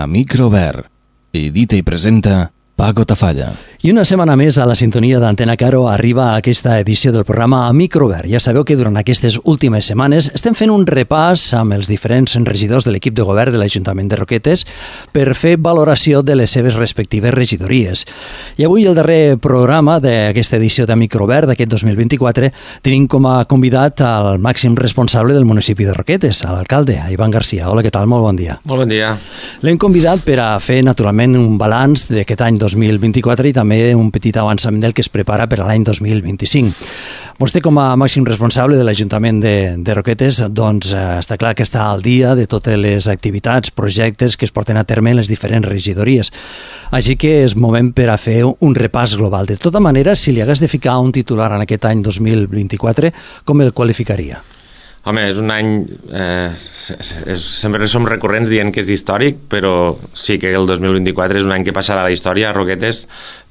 a Microvert. Edita i presenta Paco Tafalla. I una setmana més a la sintonia d'Antena Caro arriba aquesta edició del programa a Microvert. Ja sabeu que durant aquestes últimes setmanes estem fent un repàs amb els diferents regidors de l'equip de govern de l'Ajuntament de Roquetes per fer valoració de les seves respectives regidories. I avui, el darrer programa d'aquesta edició de Microvert d'aquest 2024, tenim com a convidat al màxim responsable del municipi de Roquetes, l'alcalde, Ivan Garcia. Hola, què tal? Molt bon dia. Molt bon dia. L'hem convidat per a fer, naturalment, un balanç d'aquest any 2024 i també un petit avançament del que es prepara per a l'any 2025. Vostè, com a màxim responsable de l'Ajuntament de Roquetes, doncs està clar que està al dia de totes les activitats, projectes que es porten a terme en les diferents regidories. Així que és moment per a fer un repàs global. De tota manera, si li hagués de ficar un titular en aquest any 2024, com el qualificaria? Home, és un any... sempre som recurrents dient que és històric, però sí que el 2024 és un any que passarà a la història a Roquetes,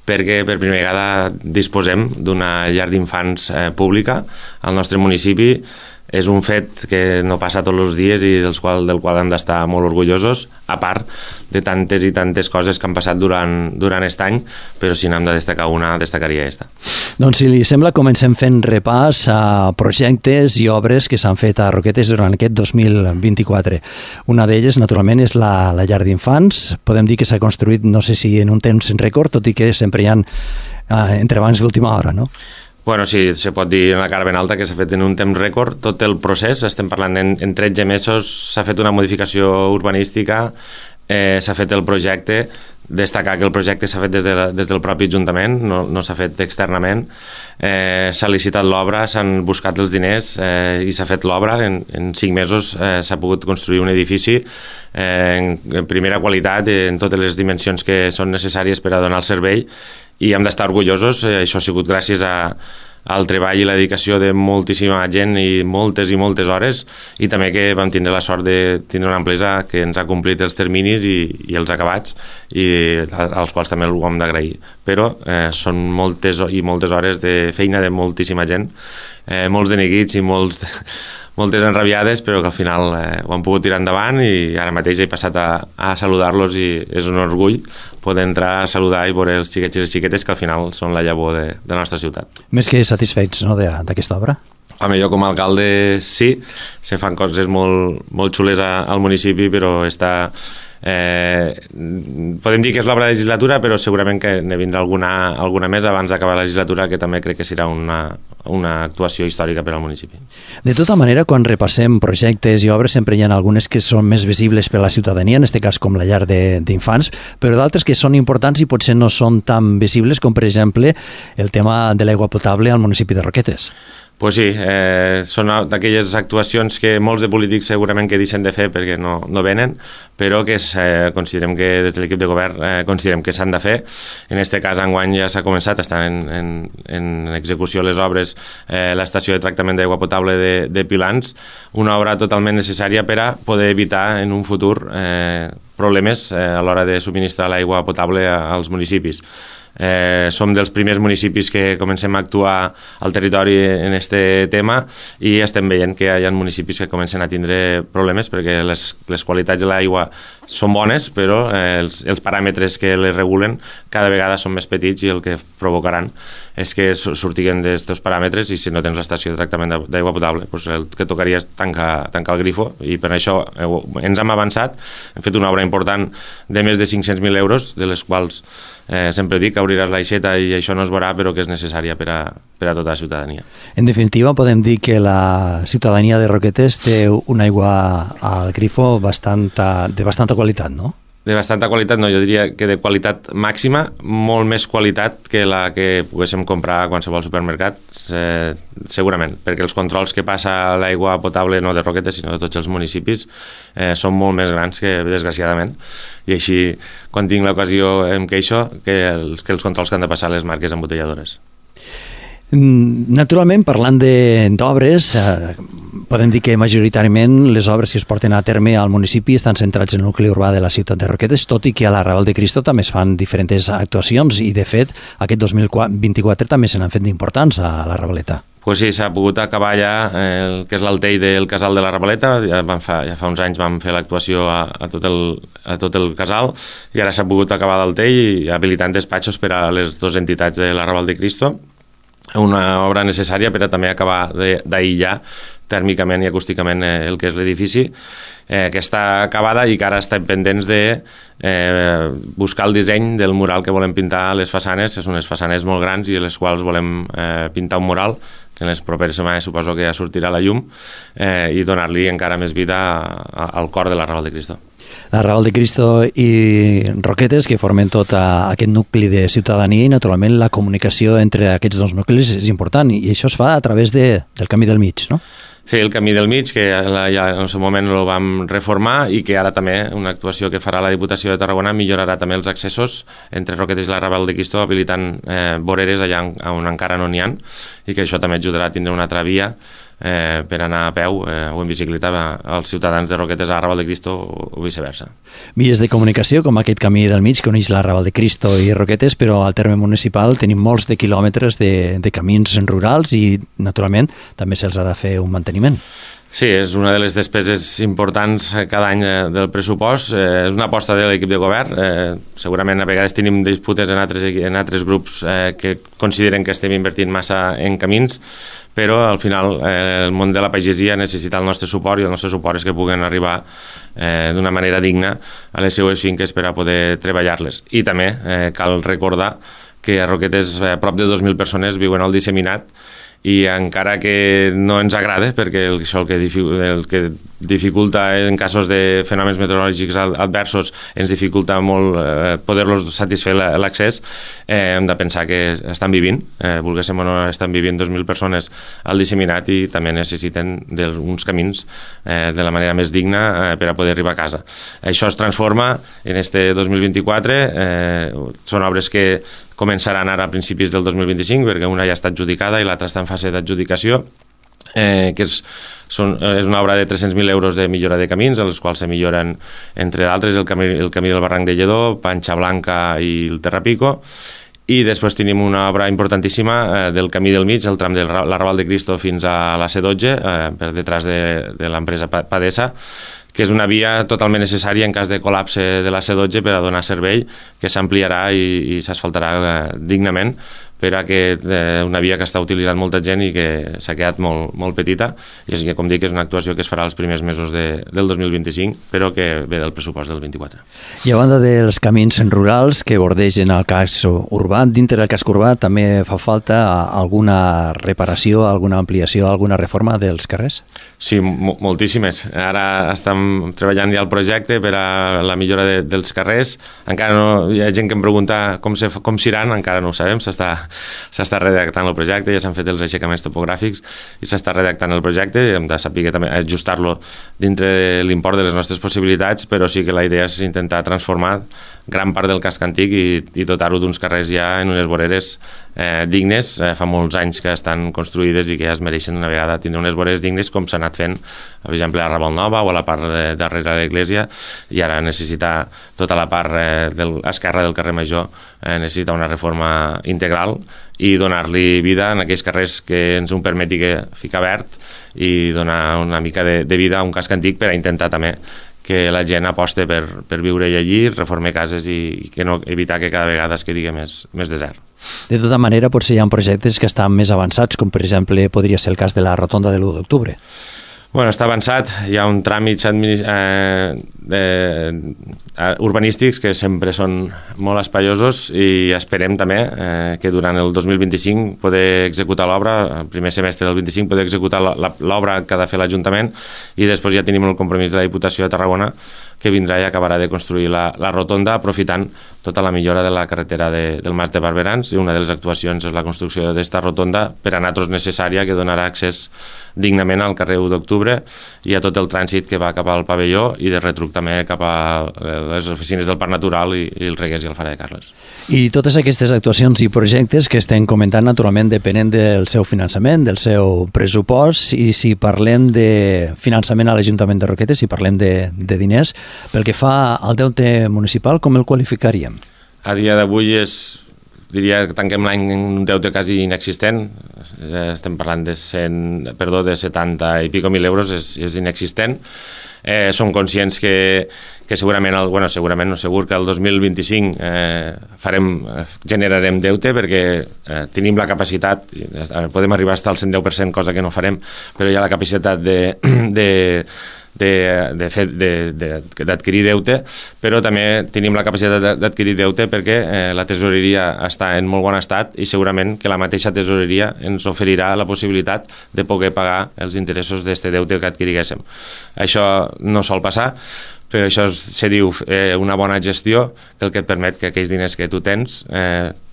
perquè per primera vegada disposem d'una llar d'infants pública al nostre municipi. És un fet que no passa tots els dies i del qual hem d'estar molt orgullosos, a part de tantes i tantes coses que han passat durant aquest any, però si n'hem de destacar una, destacaria aquesta. Doncs si li sembla, comencem fent repàs a projectes i obres que s'han fet a Roquetes durant aquest 2024. Una d'elles, naturalment, és la llar d'infants. Podem dir que s'ha construït, no sé si en un temps rècord, tot i que sempre hi ha entrebancs d'última hora, no? Bueno, sí, se pot dir en la cara ben alta que s'ha fet en un temps rècord tot el procés. Estem parlant en 13 mesos, s'ha fet una modificació urbanística, s'ha fet el projecte. Destacar que el projecte s'ha fet des del propi Ajuntament, no s'ha fet externament. S'ha licitat l'obra, s'han buscat els diners i s'ha fet l'obra. En 5 mesos s'ha pogut construir un edifici en primera qualitat, en totes les dimensions que són necessàries per a donar el servei, i hem d'estar orgullosos. Això ha sigut gràcies al treball i la dedicació de moltíssima gent i moltes hores, i també que vam tindre la sort de tindre una empresa que ens ha complit els terminis i els acabats, i als quals també ho hem d'agrair. Però són moltes hores de feina de moltíssima gent, molts de neguits i moltes enrabiades, però que al final ho han pogut tirar endavant, i ara mateix he passat a saludar-los i és un orgull poder entrar a saludar i veure els xiquets i les xiquetes, que al final són la llavor de la nostra ciutat. Més que satisfets, no, d'aquesta obra? Home, jo com a alcalde sí, se fan coses molt xules al municipi, però podem dir que és l'obra de legislatura, però segurament que ne vindrà alguna més abans d'acabar la legislatura, que també crec que serà una actuació històrica per al municipi. De tota manera, quan repassem projectes i obres, sempre hi ha algunes que són més visibles per a la ciutadania, en aquest cas com la llar d'infants, però d'altres que són importants i potser no són tan visibles, com per exemple el tema de l'aigua potable al municipi de Roquetes. Pues sí, són d'aquelles actuacions que molts de polítics segurament que deixen de fer perquè no venen, però que considerem que des de l'equip de govern considerem que s'han de fer. En aquest cas, enguany ja s'ha començat, estan en execució les obres, l'estació de tractament d'aigua potable de Pilans, una obra totalment necessària per a poder evitar en un futur problemes a l'hora de subministrar l'aigua potable als municipis. Som dels primers municipis que comencem a actuar al territori en aquest tema, i estem veient que hi ha municipis que comencen a tindre problemes perquè les qualitats de l'aigua són bones, però els paràmetres que les regulen cada vegada són més petits, i el que provocaran és que sortiguen d'aquests paràmetres, i si no tens l'estació de tractament d'aigua potable, doncs el que tocaria és tancar el grifo, i per això ens hem avançat. Hem fet una obra important de més de 500.000 euros, de les quals sempre dic que obriràs l'aixeta i això no es veurà, però que és necessària per a tota la ciutadania. En definitiva, podem dir que la ciutadania de Roquetes té una aigua al grifo de bastanta qualitat, no? De bastanta qualitat, no, jo diria que de qualitat màxima, molt més qualitat que la que poguéssim comprar a qualsevol supermercat, segurament, perquè els controls que passa l'aigua potable no de Roquetes, sinó de tots els municipis, són molt més grans que, desgraciadament, i així, quan tinc l'ocasió, em queixo que els controls que han de passar les marques embotelladores. Naturalment, parlant d'obres, podem dir que majoritàriament les obres que es porten a terme al municipi estan centrats en el nucli urbà de la ciutat de Roquetes, tot i que a la Raval de Cristo també es fan diferents actuacions, i de fet aquest 2024 també se n'han fet d'importants a la Ravaleta. Pues sí, s'ha pogut acabar ja el que és l'altell del casal de la Ravaleta. Ja fa uns anys vam fer l'actuació a tot el casal i ara s'ha pogut acabar l'altell i habilitant despatxos per a les dues entitats de l'Arrabal de Cristo. Una obra necessària per a també acabar d'aïllar tèrmicament i acústicament el que és l'edifici, que està acabada i que ara estem pendents de buscar el disseny del mural que volem pintar a les façanes. Són unes façanes molt grans i a les quals volem pintar un mural que en les properes setmanes suposo que ja sortirà a la llum i donar-li encara més vida al cor de l'Arrabal de Cristo. L'Arrabal de Cristo i Roquetes, que formen tot aquest nucli de ciutadania, i naturalment la comunicació entre aquests dos nuclis és important, i això es fa a través del Camí del Mig, no? Sí, el Camí del Mig, que ja en el seu moment el vam reformar i que ara també una actuació que farà la Diputació de Tarragona millorarà també els accessos entre Roquetes i l'Arrabal de Cristo, habilitant voreres allà on encara no n'hi ha, i que això també ajudarà a tindre una altra via per anar a peu o en bicicleta als ciutadans de Roquetes a l'Arrabal de Cristo o viceversa. Vies de comunicació com aquest Camí del Mig que uneix l'Arrabal de Cristo i Roquetes, però al terme municipal tenim molts de quilòmetres de camins rurals i naturalment també se'ls ha de fer un manteniment. Sí, és una de les despeses importants cada any del pressupost. És una aposta de l'equip de govern. Segurament a vegades tenim disputes en altres grups que consideren que estem invertint massa en camins, però al final el món de la pagesia necessita el nostre suport i el nostre suport és que puguen arribar d'una manera digna a les seues finques per a poder treballar-les. I també cal recordar que a Roquetes prop de 2.000 persones viuen al disseminat i encara que no ens agrada, perquè això el que dificulta en casos de fenòmens meteorològics adversos ens dificulta molt poder-los satisfer l'accés, hem de pensar que estan vivint, volguéssim o no, estan vivint 2.000 persones al disseminat i també necessiten uns camins de la manera més digna per a poder arribar a casa. Això es transforma en este 2024, són obres que començaran ara a principis del 2025, perquè una ja està adjudicada i l'altra està en fase d'adjudicació, que és una obra de 300.000 euros de millora de camins, en els quals se milloren, entre d'altres, el camí del Barranc de Lledó, Panxa Blanca i el Terrapico, i després tenim una obra importantíssima del Camí del Mig, el tram de l'Arrabal de Cristo fins a la C12, per detrás de l'empresa Padesa, que és una via totalment necessària en cas de col·lapse de la C12 per a donar servei, que s'ampliarà i s'asfaltarà dignament, per a que una via que està utilitzant molta gent i que s'ha quedat molt petita, i així que, com dic, és una actuació que es farà els primers mesos del 2025, però que ve del pressupost del 24. I a banda dels camins rurals que bordegen el casc urbà, dintre del casc urbà també fa falta alguna reparació, alguna ampliació, alguna reforma dels carrers? Sí, moltíssimes. Ara estem treballant ja el projecte per a la millora dels carrers. Encara no, hi ha gent que em pregunta com s'iran, encara no ho sabem, s'està redactant el projecte, ja s'han fet els aixecaments topogràfics i s'està redactant el projecte, hem de saber també ajustar-lo dintre l'import de les nostres possibilitats, però sí que la idea és intentar transformar gran part del casc antic i dotar-ho d'uns carrers ja en unes voreres dignes. Fa molts anys que estan construïdes i que ja es mereixen una vegada tindre unes voreres dignes, com s'ha anat fent, per exemple, a Raval Nova o a la part darrere de l'església, i ara necessita tota la part esquerra del carrer Major, necessita una reforma integral i donar-li vida en aquells carrers que ens ho permeti ficar verd i donar una mica de vida a un casc antic per a intentar també que la gent aposte per viure allí, reformar cases i que no evitar que cada vegada es quedi més desert. De tota manera, potser hi ha projectes que estan més avançats, com per exemple podria ser el cas de la rotonda de l'1 d'octubre. Bueno, està avançat, hi ha un tràmit urbanístics que sempre són molt espaiosos i esperem també que durant el 2025 poder executar l'obra, el primer semestre del 25 poder executar l'obra que ha de fer l'Ajuntament, i després ja tenim el compromís de la Diputació de Tarragona que vindrà i acabarà de construir la rotonda aprofitant tota la millora de la carretera del Mas de Barberans, i una de les actuacions és la construcció d'esta rotonda per a nosaltres necessària, que donarà accés dignament al carrer 1 d'octubre i a tot el trànsit que va cap al pavelló i de retruc també cap a les oficines del Parc Natural i el Reguers i el Fara de Carles. I totes aquestes actuacions i projectes que estem comentant naturalment depenen del seu finançament, del seu pressupost, i si parlem de finançament a l'Ajuntament de Roquetes, si parlem de diners, pel que fa al deute municipal, com el qualificaríem? A dia d'avui és diria que tanquem l'any en un deute quasi inexistent, estem parlant de 70 i pico mil euros, és inexistent. Som conscients que segurament, segurament no segur, que el 2025 generarem deute perquè tenim la capacitat, podem arribar fins al 110%, cosa que no farem, però hi ha la capacitat d'adquirir deute, però també tenim la capacitat d'adquirir deute perquè la tesoreria està en molt bon estat i segurament que la mateixa tesoreria ens oferirà la possibilitat de poder pagar els interessos d'aquest deute que adquiriguéssim. Això no sol passar, però això se diu una bona gestió, que el que et permet que aquells diners que tu tens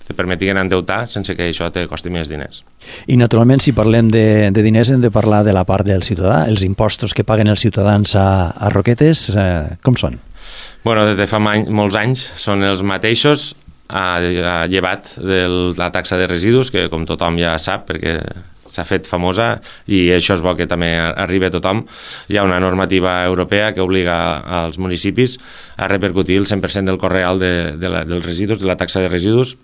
te permetin endeutar sense que això te costi més diners. I naturalment, si parlem de diners, hem de parlar de la part del ciutadà. Els impostos que paguen els ciutadans a Roquetes, com són? Bueno, des de fa molts anys són els mateixos, llevat de la taxa de residus, que com tothom ja sap, perquè s'ha fet famosa i això és bo que també arribi a tothom. Hi ha una normativa europea que obliga als municipis a repercutir el 100% del cost real dels residus, de la taxa de residus,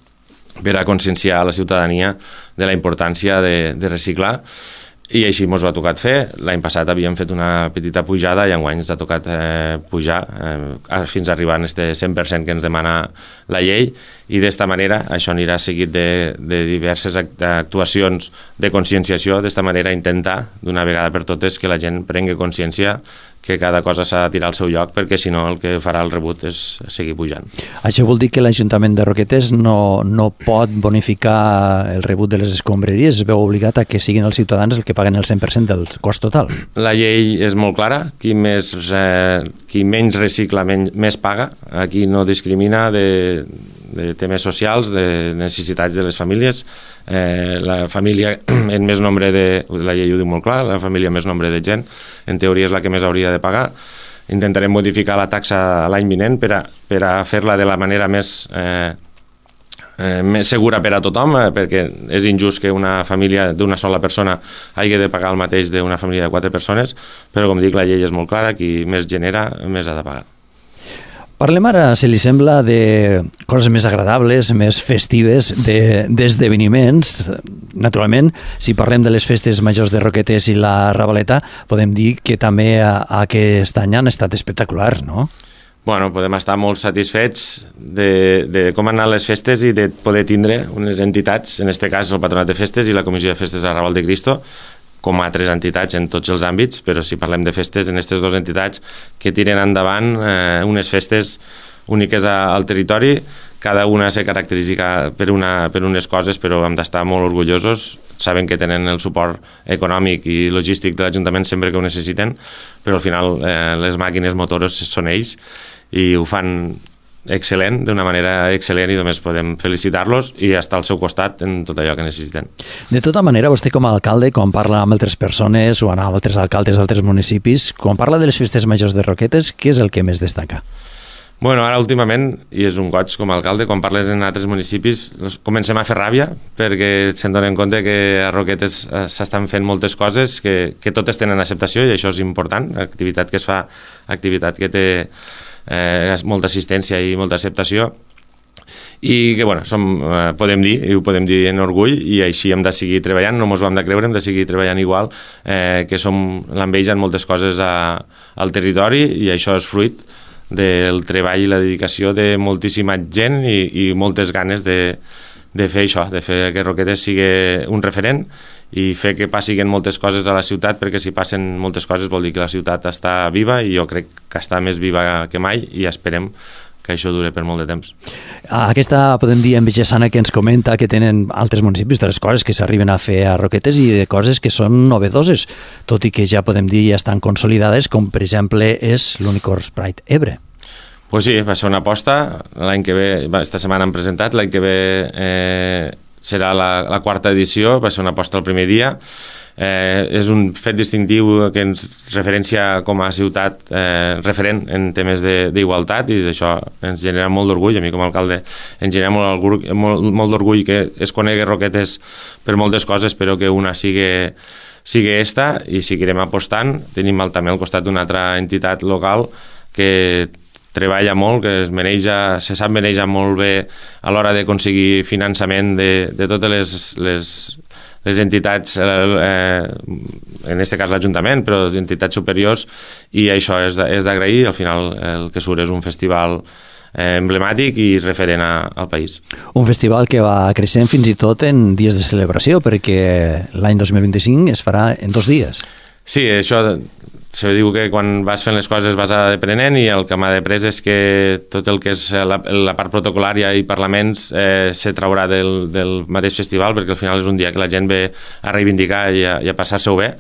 per a conscienciar a la ciutadania de la importància de reciclar. I així ens ho ha tocat fer. L'any passat havíem fet una petita pujada i enguany ens ha tocat pujar fins a arribar a este 100% que ens demana la llei, i d'esta manera això anirà seguit de diverses actuacions de conscienciació. D'esta manera intentar d'una vegada per totes que la gent prengui consciència que cada cosa s'ha de tirar al seu lloc, perquè si no el que farà el rebut és seguir pujant. Això vol dir que l'Ajuntament de Roquetes no pot bonificar el rebut de les escombraries, es veu obligat a que siguin els ciutadans els que paguen el 100% del cost total. La llei és molt clara, qui menys recicla més paga, aquí no discrimina de temes socials, de necessitats de les famílies. La família en més nombre la llei ho diu molt clar, la família més nombre de gent, en teoria és la que més hauria de pagar. Intentarem modificar la taxa l'any vinent per a fer-la de la manera més segura per a tothom, perquè és injust que una família d'una sola persona hagi de pagar el mateix d'una família de 4 persones, però com dic, la llei és molt clara, qui més genera, més ha de pagar. Parlem ara, si li sembla, de coses més agradables, més festives, d'esdeveniments. Naturalment, si parlem de les festes majors de Roquetes i la Ravaleta, podem dir que també aquest any han estat espectaculars, no? Bueno, podem estar molt satisfets de com han anat les festes i de poder tindre unes entitats, en aquest cas el Patronat de Festes i la Comissió de Festes de Raval de Cristo, com a altres entitats en tots els àmbits, però si parlem de festes, en aquestes dues entitats que tiren endavant unes festes úniques al territori, cada una se caracteritza per unes coses, però hem d'estar molt orgullosos. Saben que tenen el suport econòmic i logístic de l'Ajuntament sempre que ho necessiten, però al final les màquines motores són ells i ho fan excel·lent, d'una manera excel·lent, i només podem felicitar-los i estar al seu costat en tot allò que necessiten. De tota manera, vostè com a alcalde, quan parla amb altres persones o amb altres alcaldes d'altres municipis, quan parla de les festes majors de Roquetes, què és el que més destaca? Bueno, ara últimament, i és un goig com a alcalde, quan parles en altres municipis comencem a fer ràbia, perquè se'n donen compte que a Roquetes s'estan fent moltes coses que totes tenen acceptació, i això és important. Activitat que es fa, activitat que té molta assistència i molta acceptació, i que podem dir, i ho podem dir en orgull, i així hem de seguir treballant, no ens ho hem de creure, hem de seguir treballant igual, que som l'enveja en moltes coses al territori, i això és fruit del treball i la dedicació de moltíssima gent i moltes ganes de fer això, de fer que Roquetes sigui un referent i fer que passin moltes coses a la ciutat, perquè si passen moltes coses vol dir que la ciutat està viva, i jo crec que està més viva que mai, i esperem que això dure per molt de temps. Aquesta, podem dir, enveja sana que ens comenta que tenen altres municipis, de les coses que s'arriben a fer a Roquetes i de coses que són novedoses, tot i que ja podem dir ja estan consolidades, com per exemple és l'Unicorn Pride Ebre. Pues sí, va ser una aposta. L'any que ve, esta setmana han presentat, l'any que ve serà la quarta edició, va ser una aposta el primer dia. És un fet distintiu que ens referencia com a ciutat referent en temes d'igualtat, i d'això ens genera molt d'orgull. A mi com a alcalde ens genera molt d'orgull que es conegui Roquetes per moltes coses, però que una sigui esta, i seguirem apostant. Tenim també al costat d'una altra entitat local que treballa molt, que se sap manejar molt bé a l'hora d'aconseguir finançament de totes les entitats, en aquest cas l'Ajuntament, però entitats superiors, i això és d'agrair. Al final el que surt és un festival emblemàtic i referent al país. Un festival que va creixent fins i tot en dies de celebració, perquè l'any 2025 es farà en 2 dies. Sí, això se diu que quan vas fent les coses vas aprenent, i el que m'ha après és que tot el que és la part protocolària i parlaments se traurà del mateix festival, perquè al final és un dia que la gent ve a reivindicar i a passar-se-ho bé.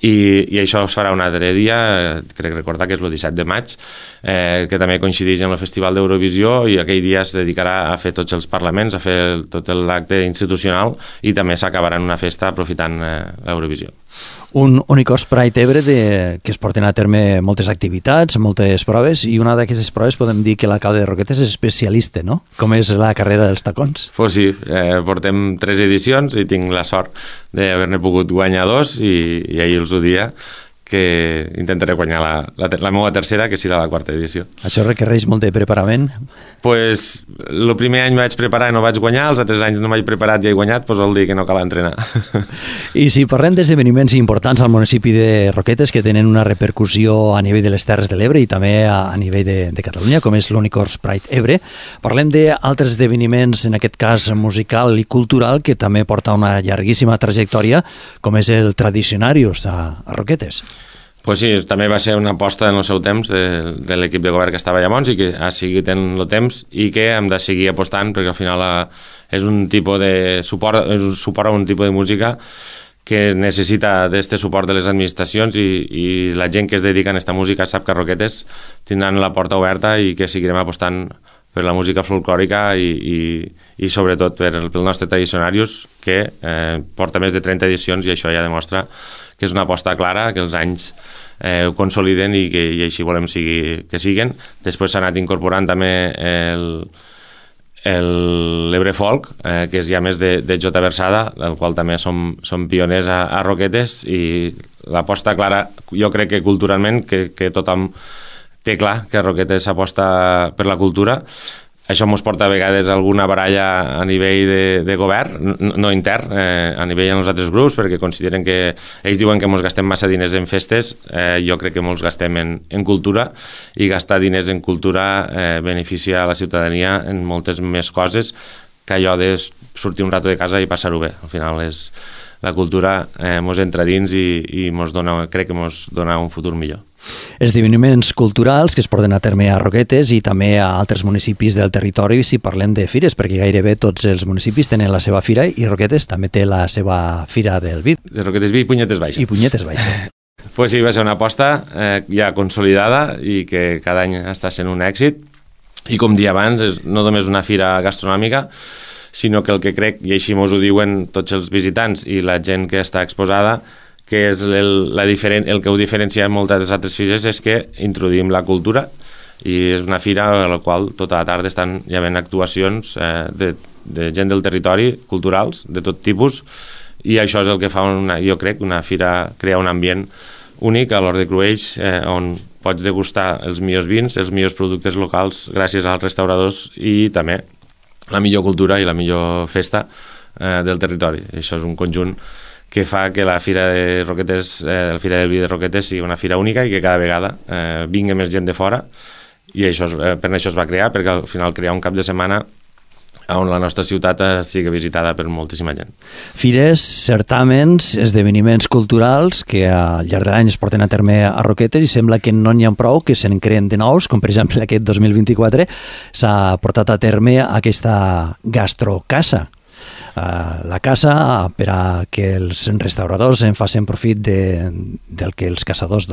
I això es farà un altre dia, crec recordar que és el 17 de maig, que també coincideix amb el Festival d'Eurovisió, i aquell dia es dedicarà a fer tots els parlaments, a fer tot l'acte institucional, i també s'acabarà en una festa aprofitant l'Eurovisió. Un Unicorns Pride Ebre que es porten a terme moltes activitats, moltes proves, i una d'aquestes proves podem dir que l'alcalde de Roquetes és especialista, no? Com és la carrera dels tacons. Pues sí, portem 3 edicions i tinc la sort d'haver-ne pogut guanyar 2, i ahir els ho dia que intentaré guanyar la meva tercera, que serà la 4ª edició. Això requereix molt de preparament? Pues el primer any vaig preparar i no vaig guanyar, els altres anys no m'he preparat i he guanyat, doncs vol dir que no cal entrenar. I si parlem d'esdeveniments importants al municipi de Roquetes que tenen una repercussió a nivell de les Terres de l'Ebre i també a nivell de Catalunya, com és l'Unicorns Pride Ebre, parlem d'altres esdeveniments, en aquest cas musical i cultural, que també porta una llarguíssima trajectòria, com és el Tradicionarius a Roquetes. Pues sí, també va ser una aposta en el seu temps de l'equip de govern que estava llavors, i que ha seguit en el temps, i que hem de seguir apostant, perquè al final és un tipus de suport a un tipus de música que necessita d'aquest suport de les administracions, i la gent que es dedica a aquesta música sap que a Roquetes tindran la porta oberta, i que seguirem apostant per la música folclòrica i sobretot per el nostre Tradicionarius, que porta més de 30 edicions, i això ja demostra que és una aposta clara, que els anys ho consoliden, i així volem que siguen. Després s'ha anat incorporant també l'Ebre Folk, que és ja més de Jota Versada, del qual també som pioners a Roquetes, i l'aposta clara, jo crec que culturalment, que tothom té clar que Roquetes s'aposta per la cultura. Això ens porta a vegades a alguna baralla a nivell de govern, no intern, a nivell dels altres grups, perquè consideren que ells diuen que ens gastem massa diners en festes. Jo crec que ens gastem en cultura, i gastar diners en cultura beneficia a la ciutadania en moltes més coses que allò de sortir un rato de casa i passar-ho bé. Al final la cultura ens entra dins i crec que ens dona un futur millor. Esdeveniments culturals que es porten a terme a Roquetes i també a altres municipis del territori, si parlem de fires, perquè gairebé tots els municipis tenen la seva fira, i Roquetes també té la seva fira del vi. De Roquetes Vi i Punyetes Baixa. I Punyetes Baixa. Pues sí, va ser una aposta ja consolidada, i que cada any està sent un èxit, i com dia abans, és no només una fira gastronòmica, sinó que el que crec, i així ens ho diuen tots els visitants i la gent que està exposada, que és el que ho diferencia en moltes altres fires, és que introduïm la cultura, i és una fira a la qual tota la tarda estan hi havent actuacions de gent del territori, culturals, de tot tipus, i això és el que fa, jo crec, una fira, crear un ambient únic a l'Hort de Cruells, on pots degustar els millors vins, els millors productes locals gràcies als restauradors, i també la millor cultura i la millor festa del territori. Això és un conjunt que fa que la Fira de Roquetes, la Fira del Vi de Roquetes, sigui una fira única, i que cada vegada vingui més gent de fora, i per això es va crear, perquè al final crear un cap de setmana on la nostra ciutat sigui visitada per moltíssima gent. Fires, certàmens, esdeveniments culturals que al llarg de l'any es porten a terme a Roquetes, i sembla que no n'hi ha prou, que se'n creen de nous, com per exemple aquest 2024 s'ha portat a terme aquesta gastrocasa. La casa per a que els restauradors en facin profit del que els caçadors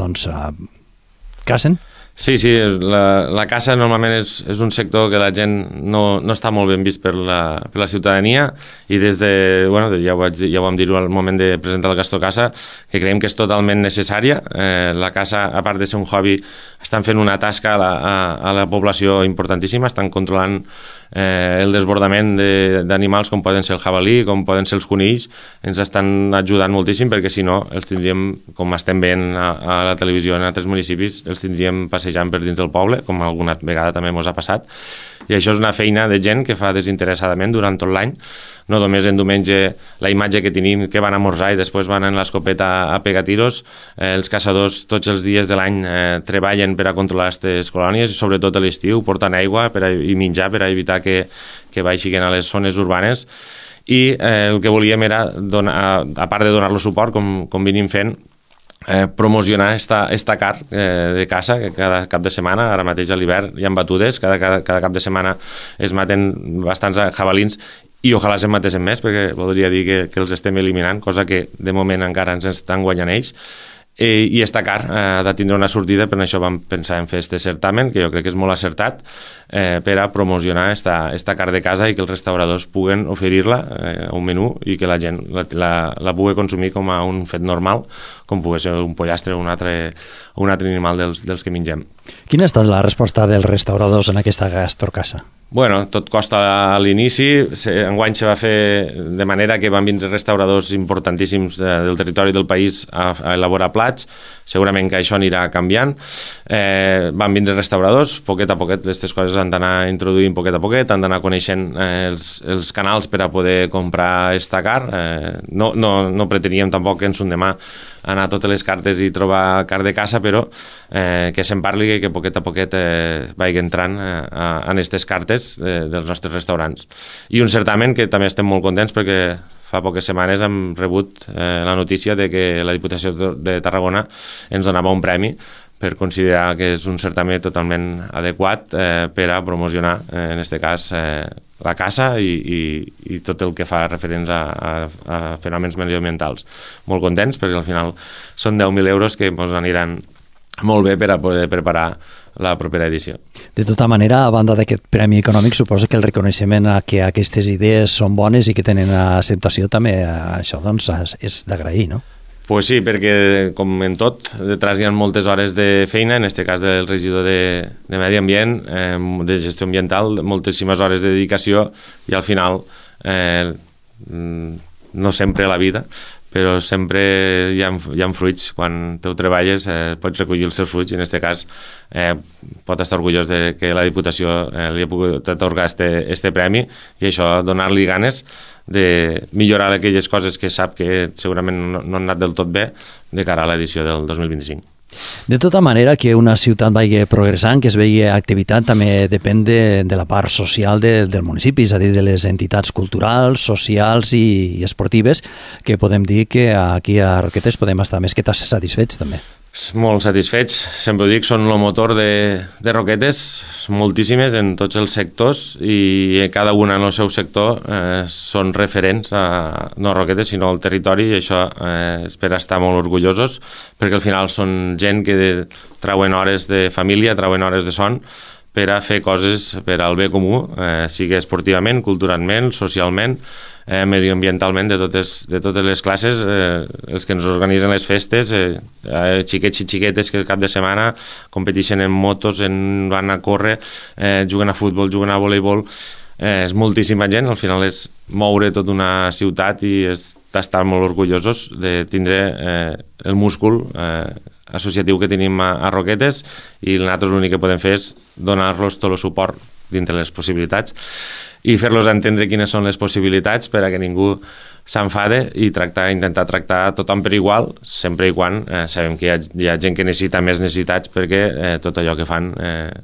cacen. Sí, la caça normalment és un sector que la gent no està molt ben vist per la ciutadania, i ja ho vam dir al moment de presentar el Gastrocasa, que creiem que és totalment necessària. La caça, a part de ser un hobby, estan fent una tasca a la població importantíssima, estan controlant el desbordament d'animals com poden ser el jabalí, com poden ser els conills, ens estan ajudant moltíssim perquè si no els tindríem, com estem veient a la televisió en altres municipis, els tindríem passejant per dins del poble, com alguna vegada també ens ha passat, i això és una feina de gent que fa desinteressadament durant tot l'any, no només en diumenge la imatge que tenim que van a esmorzar i després van en l'escopeta a pegar tiros, els caçadors tots els dies de l'any treballen per a controlar aquestes colònies i sobretot a l'estiu porten aigua i menjar per a evitar que baixin a les zones urbanes i el que volíem era, a part de donar-los suport com venim fent, promocionar esta car de caça que cada cap de setmana, ara mateix a l'hivern hi ha batudes, cada cap de setmana es maten bastants jabalins i ojalà se'n matessin més perquè voldria dir que els estem eliminant, cosa que de moment encara ens estan guanyant ells. I esta car ha de tindre una sortida, per això vam pensar en fer este certamen, que jo crec que és molt acertat, per a promocionar esta car de casa i que els restauradors puguen oferir-la a un menú i que la gent la pugui consumir com a un fet normal, com pugui ser un pollastre o un altre animal dels que mengem. Quina ha estat la resposta dels restauradors en aquesta gastrocasa? Bueno, tot costa a l'inici, enguany se va fer de manera que van vindre restauradors importantíssims del territori del país a elaborar plats, segurament que això anirà canviant, van vindre restauradors, poquet a poquet aquestes coses han d'anar introduint poquet a poquet, han d'anar coneixent els canals per a poder comprar esta car, no preteníem tampoc que ens un demà anar a totes les cartes i trobar car de caça, però que se'n parli i que poquet a poquet vagi entrant en aquestes cartes dels nostres restaurants. I un certamen que també estem molt contents perquè fa poques setmanes hem rebut la notícia de que la Diputació de Tarragona ens donava un premi per considerar que és un certamen totalment adequat per a promocionar, en aquest cas, la caça i tot el que fa referents a fenòmens medioambientals. Molt contents perquè al final són 10.000 euros que ens aniran molt bé per a poder preparar la propera edició. De tota manera, a banda d'aquest premi econòmic, suposo que el reconeixement a que aquestes idees són bones i que tenen acceptació també, això doncs és d'agrair, no? Pues sí, perquè com en tot, detrás hi ha moltes hores de feina, en aquest cas del regidor de Medi Ambient, de gestió ambiental, moltíssimes hores de dedicació i al final, no sempre a la vida, però sempre hi ha fruits. Quan tu treballes pots recollir els seus fruits i en aquest cas pot estar orgullós de que la Diputació li ha pogut atorgar este premi i això, donar-li ganes de millorar aquelles coses que sap que segurament no han anat del tot bé de cara a l'edició del 2025. De tota manera, que una ciutat vagi progressant, que es vegi activitat, també depèn de la part social del municipi, és a dir, de les entitats culturals, socials i esportives, que podem dir que aquí a Roquetes podem estar més que satisfets també. Molt satisfets, sempre ho dic, són el motor de Roquetes, moltíssimes en tots els sectors i cada una en el seu sector són referents no a Roquetes sinó al territori i això és per estar molt orgullosos perquè al final són gent que trauen hores de família, trauen hores de son per a fer coses per al bé comú, sigui esportivament, culturalment, socialment, medioambientalment, de totes les classes, els que ens organitzen les festes, xiquets i xiquetes que el cap de setmana competeixen en motos, van a córrer, juguen a futbol, juguen a voleibol, és moltíssima gent, al final és moure tota una ciutat i estar molt orgullosos de tindre el múscul associatiu que tenim a Roquetes i nosaltres l'únic que podem fer és donar-los tot el suport dintre les possibilitats i fer-los entendre quines són les possibilitats per a que ningú s'enfade i intentar tractar tothom per igual, sempre i quan sabem que hi ha gent que necessita més necessitats perquè tot allò que fan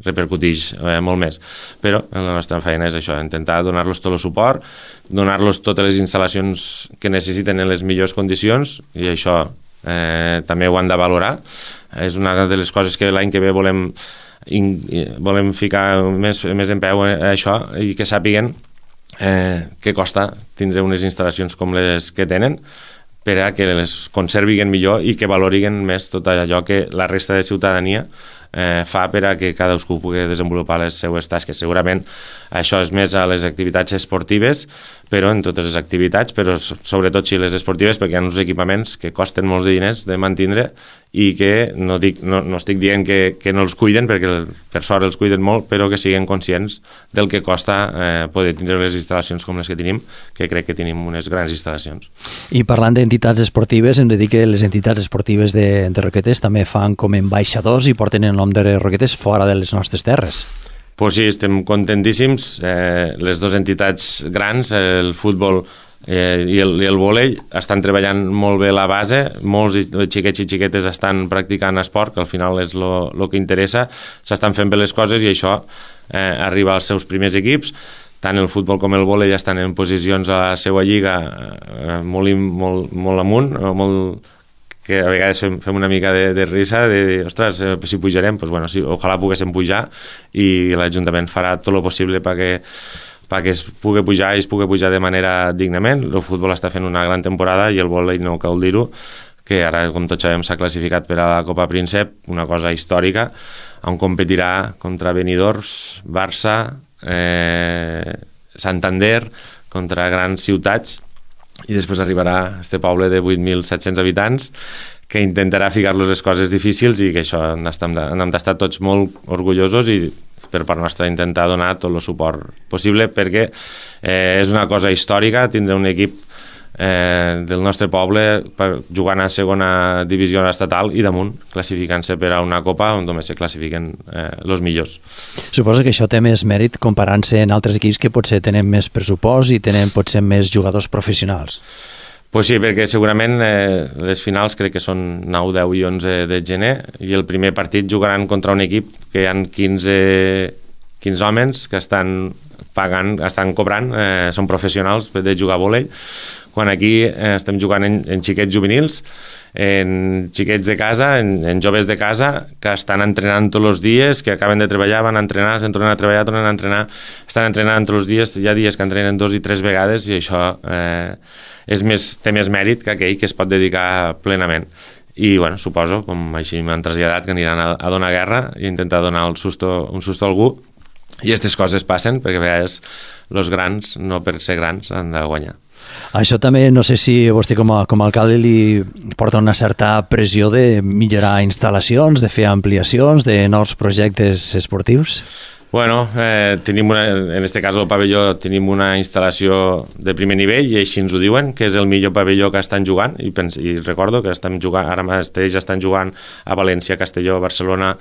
repercuteix molt més. Però la nostra feina és això, intentar donar-los tot el suport, donar-los totes les instal·lacions que necessiten en les millors condicions i això també ho han de valorar. És una de les coses que l'any que ve volem ficar més en peu a això i que sàpiguen què costa tindre unes instal·lacions com les que tenen per a que les conservin millor i que valoriguen més tot allò que la resta de ciutadania fa per a que cadascú pugui desenvolupar les seues tasques. Segurament això és més a les activitats esportives, però en totes les activitats, però sobretot si les esportives, perquè hi ha uns equipaments que costen molts de diners de mantindre i que no estic dient que no els cuiden, perquè per sort els cuiden molt, però que siguin conscients del que costa poder tindre les instal·lacions com les que tenim, que crec que tenim unes grans instal·lacions. I parlant d'entitats esportives, hem de dir que les entitats esportives de Roquetes també fan com ambaixadors i porten el nom de Roquetes fora de les nostres terres. Pues sí, estem contentíssims. Les dues entitats grans, el futbol i el vòlei, estan treballant molt bé la base. Molts xiquets i xiquetes estan practicant esport, que al final és el que interessa. S'estan fent bé les coses i això arriba als seus primers equips. Tant el futbol com el vòlei ja estan en posicions a la seva lliga molt amunt, que a vegades fem una mica de risa, de dir, ostres, si pujarem, doncs bueno, sí, ojalà poguéssim pujar i l'Ajuntament farà tot el possible perquè es pugui pujar i es pugui pujar de manera dignament. El futbol està fent una gran temporada i el vòlei no cal dir-ho, que ara, com tots sabem, s'ha classificat per a la Copa Príncep, una cosa històrica, on competirà contra Benidorm, Barça, Santander, contra grans ciutats, i després arribarà este poble de 8.700 habitants que intentarà ficar-los les coses difícils i que això n'hem d'estar tots molt orgullosos i per part nostra intentar donar tot el suport possible perquè és una cosa històrica tindre un equip del nostre poble jugant a segona divisió estatal i damunt classificant-se per a una copa on només se classifiquen els millors. Suposo que això té més mèrit comparant-se en altres equips que potser tenen més pressupost i tenen potser més jugadors professionals. Pues sí, perquè segurament les finals crec que són 9, 10 i 11 de gener i el primer partit jugaran contra un equip que hi ha 15 homes que estan pagant, estan cobrant, són professionals de jugar a vòlei, quan aquí estem jugant en xiquets juvenils, en xiquets de casa, en joves de casa, que estan entrenant tots els dies, que acaben de treballar, van a entrenar, se'n tornen a treballar, tornen a entrenar, estan entrenant tots els dies, hi ha dies que entrenen 2 i 3 vegades i això té més mèrit que aquell que es pot dedicar plenament. I bueno, suposo, com així m'han traslladat, que aniran a donar guerra i intentar donar un susto a algú. I aquestes coses passen perquè a vegades els grans, no per ser grans, han de guanyar. Això també, no sé si vostè com a alcalde li porta una certa pressió de millorar instal·lacions, de fer ampliacions, de nous projectes esportius? Bueno, tenim en aquest cas el pavelló tenim una instal·lació de primer nivell i així ens ho diuen, que és el millor pavelló que estan jugant i recordo que estem jugant, ara mateix estan jugant a València, Castelló, Barcelona,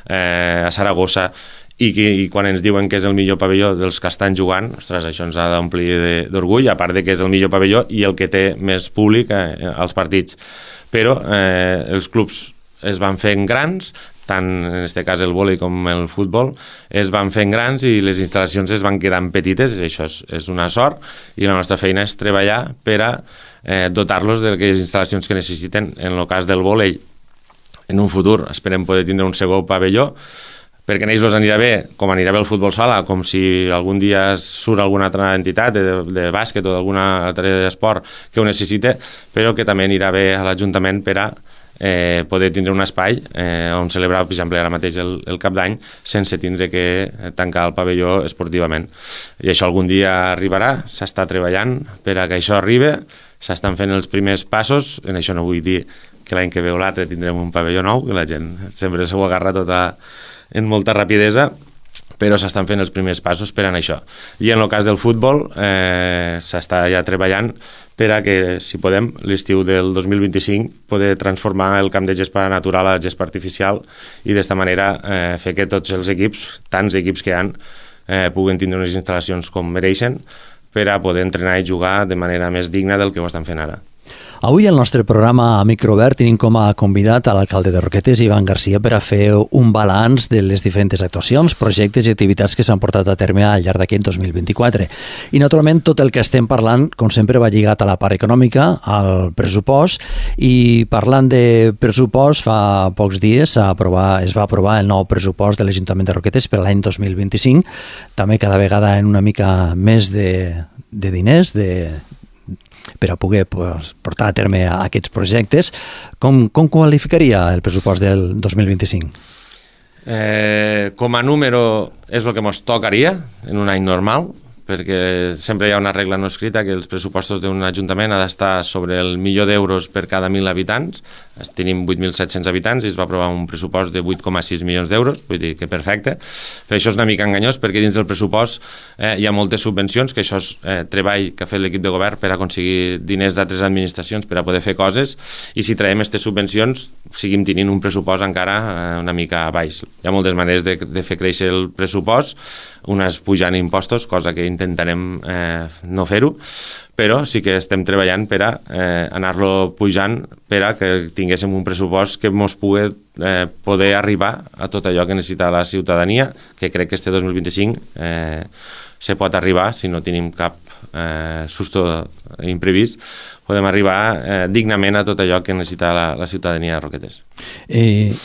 a Saragossa i quan ens diuen que és el millor pavelló dels que estan jugant, ostres, això ens ha d'omplir d'orgull, a part de que és el millor pavelló i el que té més públic als partits. Però els clubs es van fent grans, tant en aquest cas el vòlei com el futbol, es van fent grans i les instal·lacions es van quedant petites, i això és una sort, i la nostra feina és treballar per a dotar-los d'aquelles instal·lacions que necessiten. En el cas del vòlei, en un futur esperem poder tindre un segon pavelló, perquè a ells anirà bé, com anirà bé el futbol sala, com si algun dia surt alguna altra entitat de bàsquet o d'algun altre esport que ho necessite, però que també anirà bé a l'Ajuntament per a poder tindre un espai on celebrar, per exemple, ara mateix el cap d'any sense tindre que tancar el pavelló esportivament. I això algun dia arribarà, s'està treballant per a que això arribi, s'estan fent els primers passos, en això no vull dir que l'any que ve o l'altre tindrem un pavelló nou, que la gent sempre s'ho agarra en molta rapidesa, però s'estan fent els primers passos per a això. I en el cas del futbol s'està ja treballant per a que, si podem, l'estiu del 2025 poder transformar el camp de gespa natural a gespa artificial i d'esta manera fer que tots els equips, tants equips que hi ha, puguen tindre unes instal·lacions com mereixen per a poder entrenar i jugar de manera més digna del que ho estan fent ara. Avui al nostre programa a Microobert tenim com a convidat a l'alcalde de Roquetes, Ivan Garcia, per a fer un balanç de les diferents actuacions, projectes i activitats que s'han portat a terme al llarg d'aquest 2024. I, naturalment, tot el que estem parlant, com sempre, va lligat a la part econòmica, al pressupost, i parlant de pressupost, fa pocs dies es va aprovar el nou pressupost de l'Ajuntament de Roquetes per l'any 2025, també cada vegada en una mica més de diners, per a poder portar a terme aquests projectes. Com qualificaria el pressupost del 2025? Com a número és el que ens tocaria en un any normal, perquè sempre hi ha una regla no escrita que els pressupostos d'un ajuntament ha d'estar sobre el $1.000.000 per cada 1.000 habitants. Tenim 8.700 habitants i es va aprovar un pressupost de 8,6 milions d'euros, vull dir que perfecte. Però això és una mica enganyós perquè dins del pressupost hi ha moltes subvencions, que això és treball que ha fet l'equip de govern per aconseguir diners d'altres administracions per a poder fer coses, i si traiem aquestes subvencions seguim tenint un pressupost encara una mica baix. Hi ha moltes maneres de fer créixer el pressupost, una és pujant impostos, cosa que intentarem no fer-ho, però sí que estem treballant per a anar-lo pujant per a que tinguéssim un pressupost que ens pugui poder arribar a tot allò que necessita la ciutadania, que crec que este 2025 se pot arribar, si no tenim cap susto imprevist, podem arribar dignament a tot allò que necessita la ciutadania de Roquetes.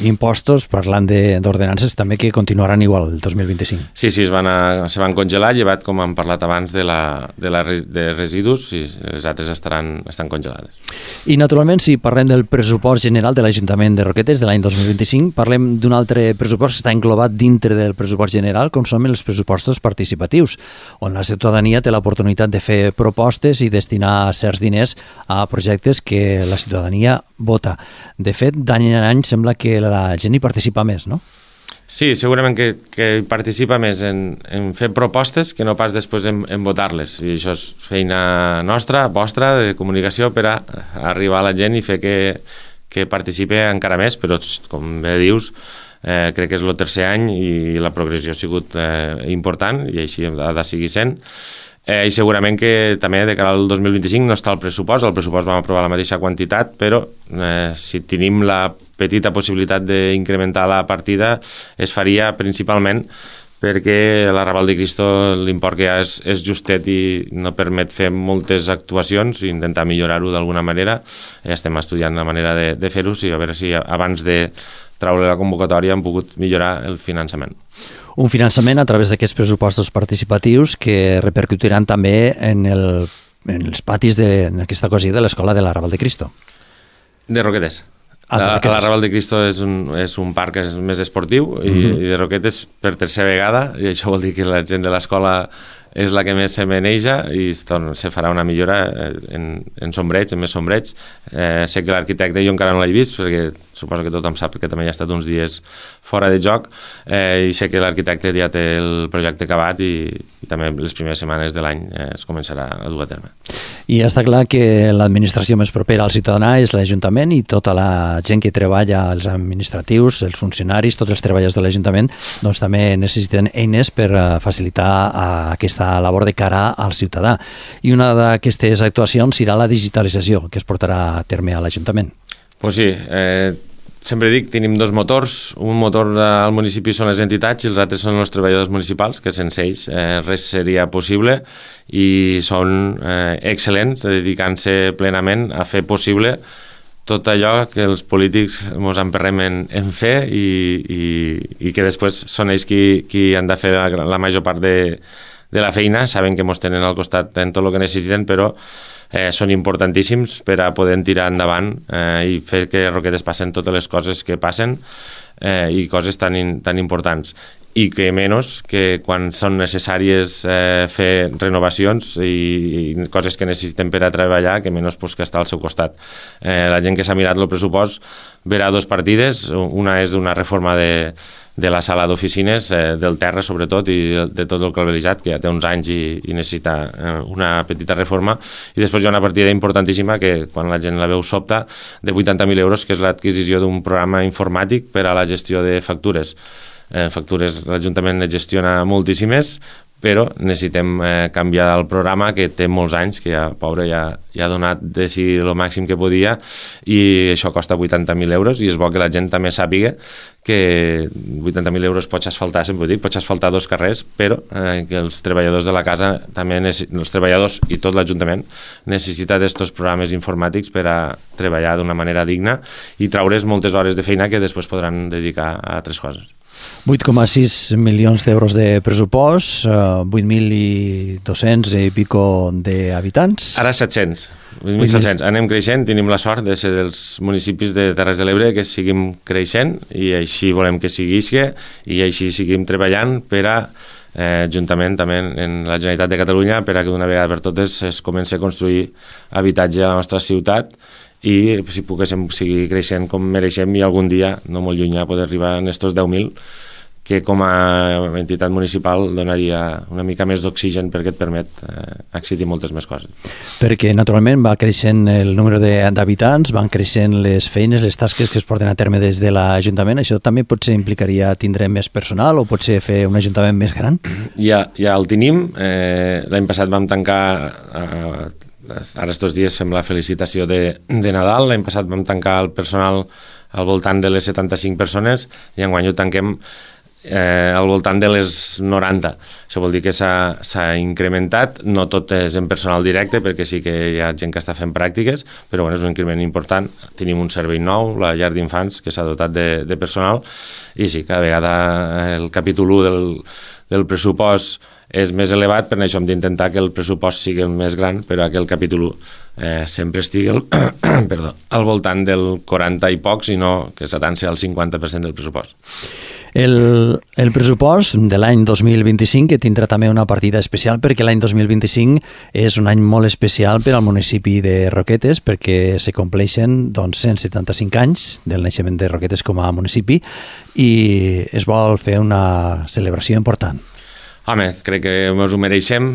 Impostos, parlant d'ordenances, també que continuaran igual el 2025. Sí, se van congelar, llevat, com hem parlat abans, de residus, i les altres estan congelades. I, naturalment, si parlem del pressupost general de l'Ajuntament de Roquetes de l'any 2025, parlem d'un altre pressupost que està englobat dintre del pressupost general, com són els pressupostos participatius, on la ciutadania té l'oportunitat de fer propostes i destinar certs diners a projectes que la ciutadania vota. De fet, d'any en any sembla que la gent hi participa més, no? Sí, segurament que participa més en fer propostes que no pas després en votar-les. I això és feina nostra, vostra, de comunicació, per a arribar a la gent i fer que participi encara més, però com bé dius, crec que és el tercer any i la progressió ha sigut important i així ha de seguir sent. I segurament que també de cara al 2025 no està el pressupost vam aprovar la mateixa quantitat, però si tenim la petita possibilitat d'incrementar la partida es faria principalment perquè la Raval de Cristo l'import que hi ha és justet i no permet fer moltes actuacions i intentar millorar-ho d'alguna manera. Ja estem estudiant la manera de fer-ho, a veure si abans de traure la convocatòria hem pogut millorar el finançament. Un finançament a través d'aquests pressupostos participatius que repercutiran també en els patis en aquesta ocasió de l'Escola de la Raval de Cristo. De Roquetes. La Raval de Cristo és un parc més esportiu i de Roquetes per tercera vegada, i això vol dir que la gent de l'escola és la que més se maneja i se farà una millora en sombreig, en més sombreig. Sé que l'arquitecte jo encara no l'he vist, perquè suposo que tothom sap que també ha estat uns dies fora de joc, i sé que l'arquitecte ja té el projecte acabat i també les primeres setmanes de l'any es començarà a dur a terme. I està clar que l'administració més propera al ciutadà és l'Ajuntament i tota la gent que treballa, els administratius, els funcionaris, tots els treballadors de l'Ajuntament, doncs també necessiten eines per facilitar aquesta labor de cara al ciutadà. I una d'aquestes actuacions serà la digitalització que es portarà a terme a l'Ajuntament. Pues sí, sempre dic, tenim dos motors. Un motor al municipi són les entitats i els altres són els treballadors municipals, que sense ells res seria possible, i són excel·lents, dedicant-se plenament a fer possible tot allò que els polítics ens emperrem en fer i que després són ells qui han de fer la major part de la feina. Saben que ens tenen al costat en tot el que necessiten, però són importantíssims per a poder tirar endavant i fer que Roquetes passen totes les coses que passen i coses tan importants. I que menys que quan són necessàries fer renovacions i coses que necessiten per a treballar, que menys que estar al seu costat. La gent que s'ha mirat el pressupost verà dues partides. Una és d'una reforma de la sala d'oficines, del terra sobretot, i de tot el calvelitzat, que ja té uns anys i necessita una petita reforma. I després hi ha una partida importantíssima que quan la gent la veu sobta, de 80.000 euros, que és l'adquisició d'un programa informàtic per a la gestió de factures. Factures l'Ajuntament ne gestiona moltíssimes, però necessitem canviar el programa, que té molts anys, que pobre ja ha donat de si el màxim que podia, i això costa 80.000 euros, i és bo que la gent també sàpiga que 80.000 euros pots asfaltar, sempre ho dic, pots asfaltar 2 carrers, però que els treballadors de la casa, també els treballadors i tot l'Ajuntament, necessita d'estos programes informàtics per a treballar d'una manera digna i traure's moltes hores de feina que després podran dedicar a altres coses. 8,6 milions d'euros de pressupost, 8.200 i pico d'habitants. Ara 700. 8.700. Anem creixent, tenim la sort de ser dels municipis de Terres de l'Ebre que seguim creixent i així volem que seguisca i així seguim treballant per a juntament també en la Generalitat de Catalunya per a que d'una vegada per totes es comenci a construir habitatge a la nostra ciutat i si poguéssim seguir creixent com mereixem i algun dia, no molt llunyà, poder arribar a estos 10.000 que com a entitat municipal donaria una mica més d'oxigen perquè et permet accedir moltes més coses. Perquè, naturalment, va creixent el número d'habitants, van creixent les feines, les tasques que es porten a terme des de l'Ajuntament. Això també potser implicaria tindre més personal o potser fer un Ajuntament més gran? Ja el tenim. L'any passat vam tancar... Ara estos dies fem la felicitació de Nadal. L'any passat vam tancar el personal al voltant de les 75 persones i enguany ho tanquem al voltant de les 90. Això vol dir que s'ha incrementat, no tot és en personal directe perquè sí que hi ha gent que està fent pràctiques, però bueno, és un increment important. Tenim un servei nou, la llar d'infants, que s'ha dotat de personal i sí, cada vegada el capítol 1 del pressupost és més elevat, per això hem d'intentar que el pressupost sigui més gran, però que el capítol 1 sempre estigui al voltant del 40 i pocs i no que s'atanci al 50% del pressupost. El pressupost de l'any 2025 que tindrà també una partida especial perquè l'any 2025 és un any molt especial per al municipi de Roquetes perquè se compleixen 175 anys del naixement de Roquetes com a municipi i es vol fer una celebració important. Home, crec que ens ho mereixem,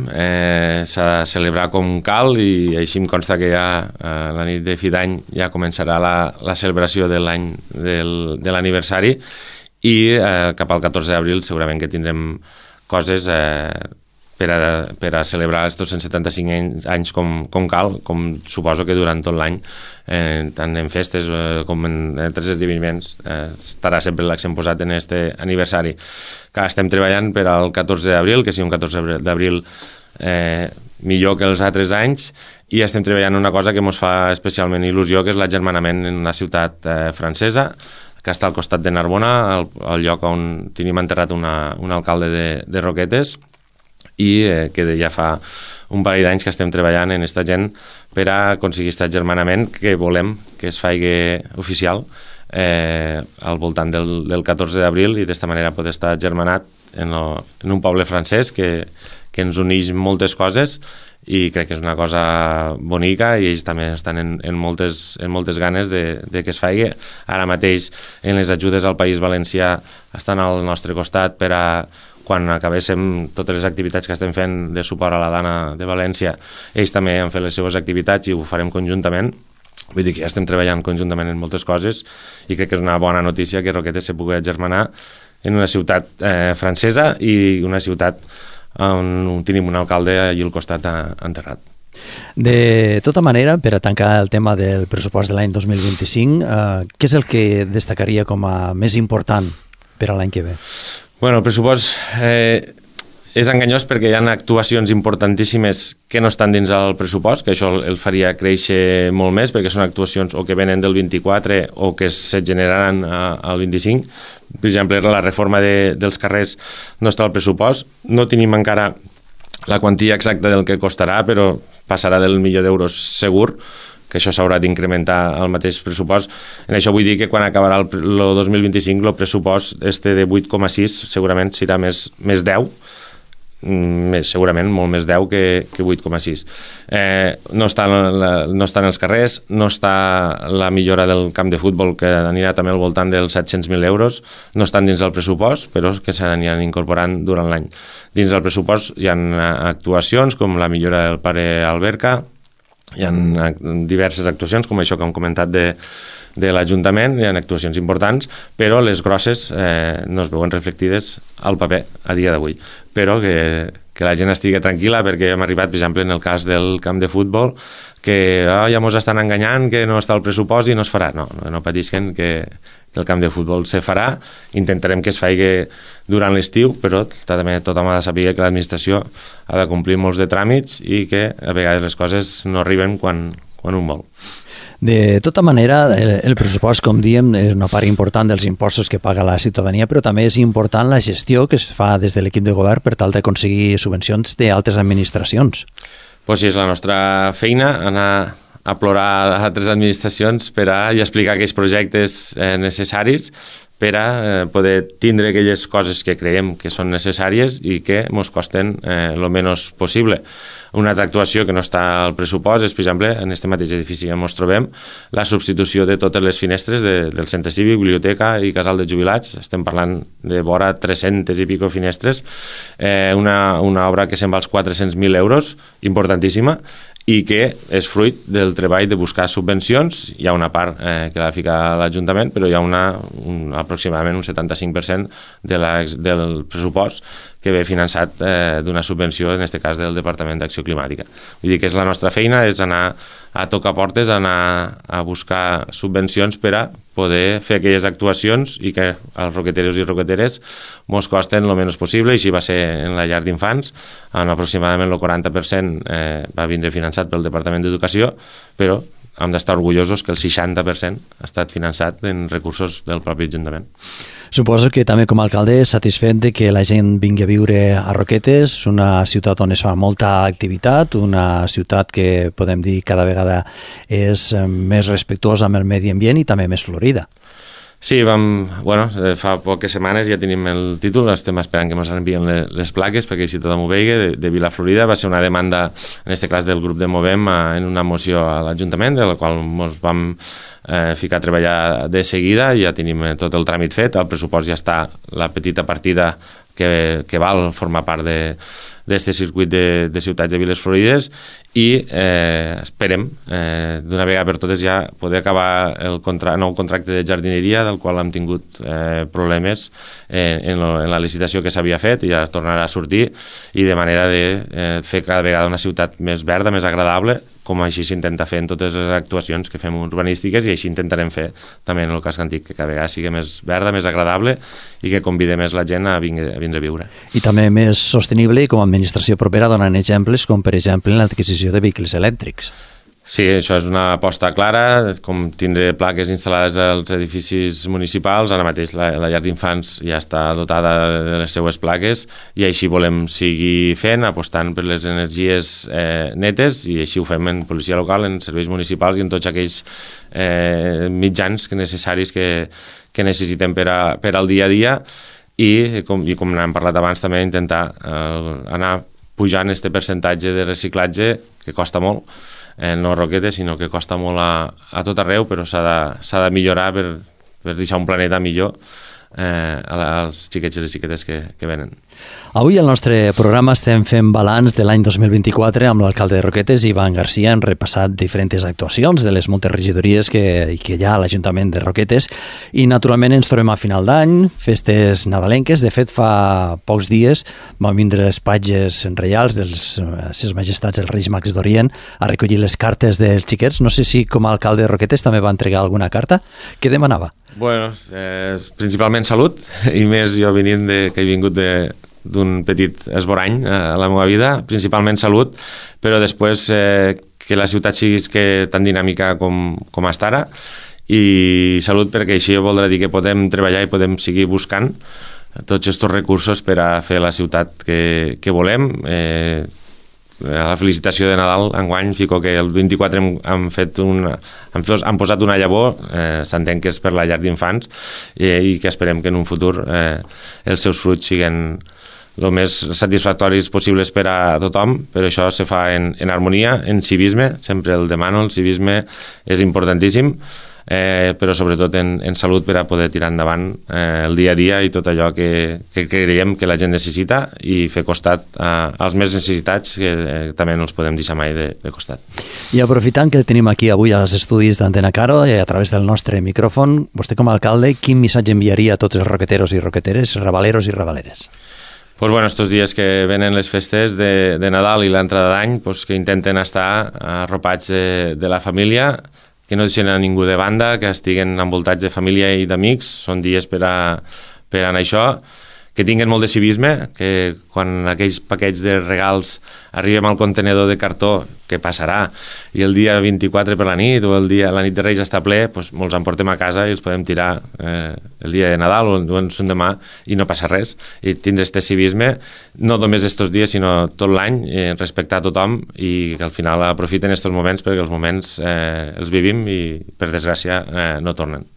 s'ha de celebrar com cal i així em consta que ja la nit de fi d'any ja començarà la celebració de l'any de l'aniversari i cap al 14 d'abril segurament que tindrem coses per a celebrar els 275 anys com cal, com suposo que durant tot l'any, tant en festes com en altres esdeveniments, estarà sempre l'accent posat en aquest aniversari. Que estem treballant per al 14 d'abril, que sigui un 14 d'abril millor que els altres anys, i estem treballant una cosa que ens fa especialment il·lusió, que és l'agermanament en una ciutat francesa, que està al costat de Narbona, al lloc on tenim enterrat un alcalde de Roquetes, i que ja fa un parell d'anys que estem treballant en aquesta gent per a aconseguir aquest agermanament que volem que es faci oficial al voltant del 14 d'abril i d'esta manera poder estar agermanat en un poble francès que ens uneix moltes coses i crec que és una cosa bonica i ells també estan en moltes ganes de que es faci. Ara mateix en les ajudes al País Valencià estan al nostre costat per a quan acabéssim totes les activitats que estem fent de suport a la dona de València, ells també han fet les seves activitats i ho farem conjuntament. Vull dir que ja estem treballant conjuntament en moltes coses i crec que és una bona notícia que Roquetes se pugui agermanar en una ciutat francesa i una ciutat on tenim un alcalde allà al costat enterrat. De tota manera, per a tancar el tema del pressupost de l'any 2025, què és el que destacaria com a més important per a l'any que ve? Bueno, el pressupost és enganyós perquè hi ha actuacions importantíssimes que no estan dins del pressupost, que això el faria créixer molt més, perquè són actuacions o que venen del 24 o que se generaran al 25. Per exemple, la reforma dels carrers no està al pressupost. No tenim encara la quantia exacta del que costarà, però passarà del €1.000.000 segur, que això s'haurà d'incrementar al mateix pressupost. En això vull dir que quan acabarà el 2025 el pressupost de 8,6 segurament serà més 10, segurament molt més 10 que 8,6. No estan els carrers, no està la millora del camp de futbol que anirà també al voltant dels 700.000 euros, no estan dins del pressupost, però que s'aniran incorporant durant l'any. Dins del pressupost hi ha actuacions com la millora del Pare Alberca, hi ha diverses actuacions, com això que hem comentat de l'Ajuntament, hi ha actuacions importants, però les grosses no es veuen reflectides al paper a dia d'avui. Però que la gent estigui tranquil·la perquè hem arribat, per exemple, en el cas del camp de futbol, que ja ens estan enganyant, que no està al pressupost i no es farà. No patisquen que el camp de futbol se farà, intentarem que es faci durant l'estiu, però també tothom ha de saber que l'administració ha de complir molts de tràmits i que a vegades les coses no arriben quan un vol. De tota manera, el pressupost, com diem, és una part important dels impostos que paga la ciutadania, però també és important la gestió que es fa des de l'equip de govern per tal d'aconseguir subvencions d'altres administracions. Pues sí, és la nostra feina, anar a plorar a altres administracions i explicar aquells projectes necessaris per a poder tindre aquelles coses que creiem que són necessàries i que ens costen el menys possible. Una altra actuació que no està al pressupost és, per exemple, en aquest mateix edifici on ens trobem, la substitució de totes les finestres del centre cívic, biblioteca i casal de jubilats. Estem parlant de vora 300 i pico finestres, una obra que se'n va als 400.000 euros, importantíssima, i que és fruit del treball de buscar subvencions. Hi ha una part que l'ha ficat l'Ajuntament, però hi ha aproximadament un 75% del pressupost que ve finançat d'una subvenció, en aquest cas del Departament d'Acció Climàtica. Vull dir que és la nostra feina, és anar a tocar portes, anar a buscar subvencions per a poder fer aquelles actuacions i que els roqueteros i roqueteres mos costen el menys possible, i així va ser en la llar d'infants, on aproximadament el 40% va vindre finançat pel Departament d'Educació, però hem d'estar orgullosos que el 60% ha estat finançat en recursos del propi Ajuntament. Suposo que també com a alcalde satisfet de que la gent vingui a viure a Roquetes, una ciutat on es fa molta activitat, una ciutat que podem dir cada vegada és més respectuosa amb el medi ambient i també més florida. Sí, fa poques setmanes ja tenim el títol, estem esperant que ens envien les plaques perquè així tothom ho vegi, de Vila Florida. Va ser una demanda, en aquest cas del grup de Movem, en una moció a l'Ajuntament, de la qual ens vam ficar a treballar de seguida, ja tenim tot el tràmit fet, el pressupost ja està, la petita partida que val formar part d'aquest circuit de ciutats de Viles Florides, i esperem d'una vegada per totes ja poder acabar el nou contracte de jardineria, del qual hem tingut problemes en la licitació que s'havia fet, i ja tornarà a sortir, i de manera de fer cada vegada una ciutat més verda, més agradable, com així s'intenta fer en totes les actuacions que fem urbanístiques, i així intentarem fer també en el casc antic, que cada vegada sigui més verda, més agradable, i que convide més la gent a vindre a viure. I també més sostenible, i com a administració propera donant exemples, com per exemple l'adquisició de vehicles elèctrics. Sí, això és una aposta clara, com tindre plaques instal·lades als edificis municipals. Ara mateix la llar d'infants ja està dotada de les seues plaques, i així volem seguir fent, apostant per les energies netes, i així ho fem en policia local, en serveis municipals i en tots aquells mitjans necessaris que necessitem per al dia a dia, i com n'hem parlat abans, també intentar anar pujant aquest percentatge de reciclatge, que costa molt, no a Roquetes, sinó que costa molt a tot arreu, però s'ha de millorar per deixar un planeta millor als xiquets i les xiquetes que venen. Avui al nostre programa estem fent balanç de l'any 2024 amb l'alcalde de Roquetes, Ivan Garcia. Hem repassat diferents actuacions de les moltes regidories que hi ha a l'Ajuntament de Roquetes, i naturalment ens trobem a final d'any, festes nadalenques. De fet, fa pocs dies van vindre les patges reials dels Ses Majestats els Reis Mags d'Orient a recollir les cartes dels xiquets. No sé si com a alcalde de Roquetes també va entregar alguna carta. Què demanava? Bueno, principalment salut, i més jo que he vingut d'un petit esborany a la meva vida, principalment salut, però després que la ciutat sigui tan dinàmica com està ara, i salut perquè així voldrà dir que podem treballar i podem seguir buscant tots aquests recursos per a fer la ciutat que volem. A la felicitació de Nadal enguany fico que el 24 han posat una llavor, s'entén que és per la llar d'infants, i que esperem que en un futur els seus fruits siguin el més satisfactoris possibles per a tothom, però això se fa en harmonia, en civisme, sempre el demano, el civisme és importantíssim, però sobretot en salut, per a poder tirar endavant el dia a dia i tot allò que creiem que la gent necessita, i fer costat als més necessitats, que també no els podem deixar mai de costat. I aprofitant que el tenim aquí avui als estudis d'Antena Caro, a través del nostre micròfon, vostè com a alcalde, quin missatge enviaria a tots els roqueteros i roqueteres, rabaleros i rabaleres? Pues bueno, estos dies que venen les festes de Nadal i l'entrada d'any, pues que intenten estar arropats de la família, que no deixen a ningú de banda, que estiguen envoltats de família i d'amics. Són dies per anar això, que tinguin molt de civisme, que quan aquells paquets de regals arribem al contenedor de cartó, que passarà, i el dia 24 per la nit o la nit de Reis està ple, doncs molts en portem a casa i els podem tirar el dia de Nadal o en son demà i no passa res. I tindre este civisme, no només estos dies, sinó tot l'any, respectar a tothom i que al final aprofiten estos moments perquè els moments els vivim i, per desgràcia, no tornen.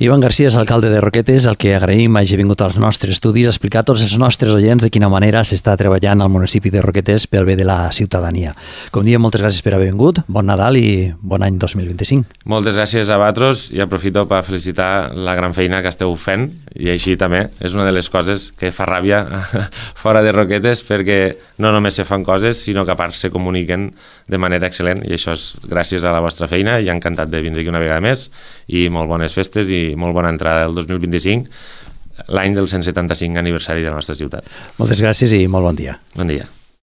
Ivan Garcia és alcalde de Roquetes, el que agraïm hagi vingut als nostres estudis a explicar a tots els nostres oients de quina manera s'està treballant al municipi de Roquetes pel bé de la ciutadania. Com diem, moltes gràcies per haver vingut, bon Nadal i bon any 2025. Moltes gràcies a vosaltres i aprofito per felicitar la gran feina que esteu fent i així també és una de les coses que fa ràbia fora de Roquetes perquè no només se fan coses sinó que a part se comuniquen de manera excel·lent i això és gràcies a la vostra feina i encantat de vindre aquí una vegada més i molt bones festes i molt bona entrada del 2025, l'any del 175 aniversari de la nostra ciutat. Moltes gràcies i molt bon dia. Bon dia.